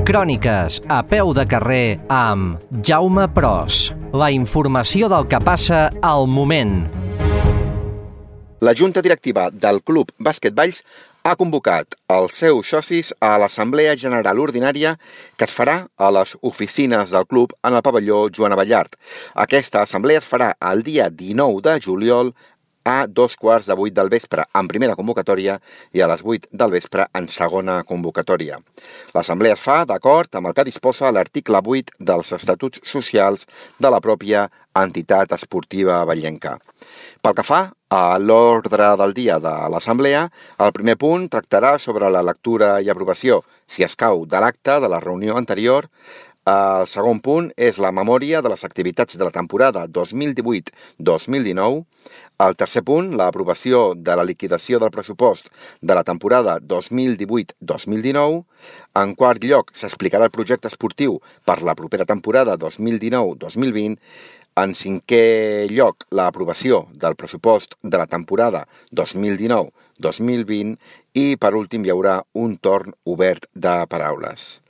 Cròniques a peu de carrer amb Jaume Pros. La informació del que passa al moment. La Junta Directiva del Club Bàsquet Valls ha convocat els seus socis a l'Assemblea General Ordinària que es farà a les oficines del club en el pavelló Joan Abellart. Aquesta assemblea es farà el dia 19 de juliol a 7:15 del vespre en primera convocatòria i a les 8 del vespre en segona convocatòria. L'assemblea es fa d'acord amb el que disposa l'article 8 dels Estatuts Socials de la pròpia entitat esportiva vallenca. Pel que fa a l'ordre del dia de l'assemblea, el primer punt tractarà sobre la lectura i aprovació, si escau, de l'acte de la reunió anterior. El segon punt és la memòria de les activitats de la temporada 2018-2019. El tercer punt, l'aprovació de la liquidació del pressupost de la temporada 2018-2019. En quart lloc, s'explicarà el projecte esportiu per la propera temporada 2019-2020. En cinquè lloc, l'aprovació del pressupost de la temporada 2019-2020 i, per últim, hi haurà un torn obert de paraules.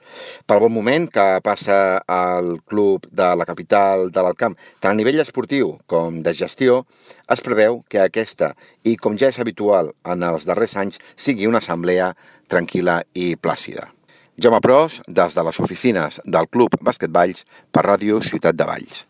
Pel bon moment que passa al club de la capital de l'Alt Camp, tant a nivell esportiu com de gestió, es preveu que aquesta, i com ja és habitual en els darrers anys, sigui una assemblea tranquil·la i plàcida. Jaume Pros, des de les oficines del Club Bàsquet Valls, per Ràdio Ciutat de Valls.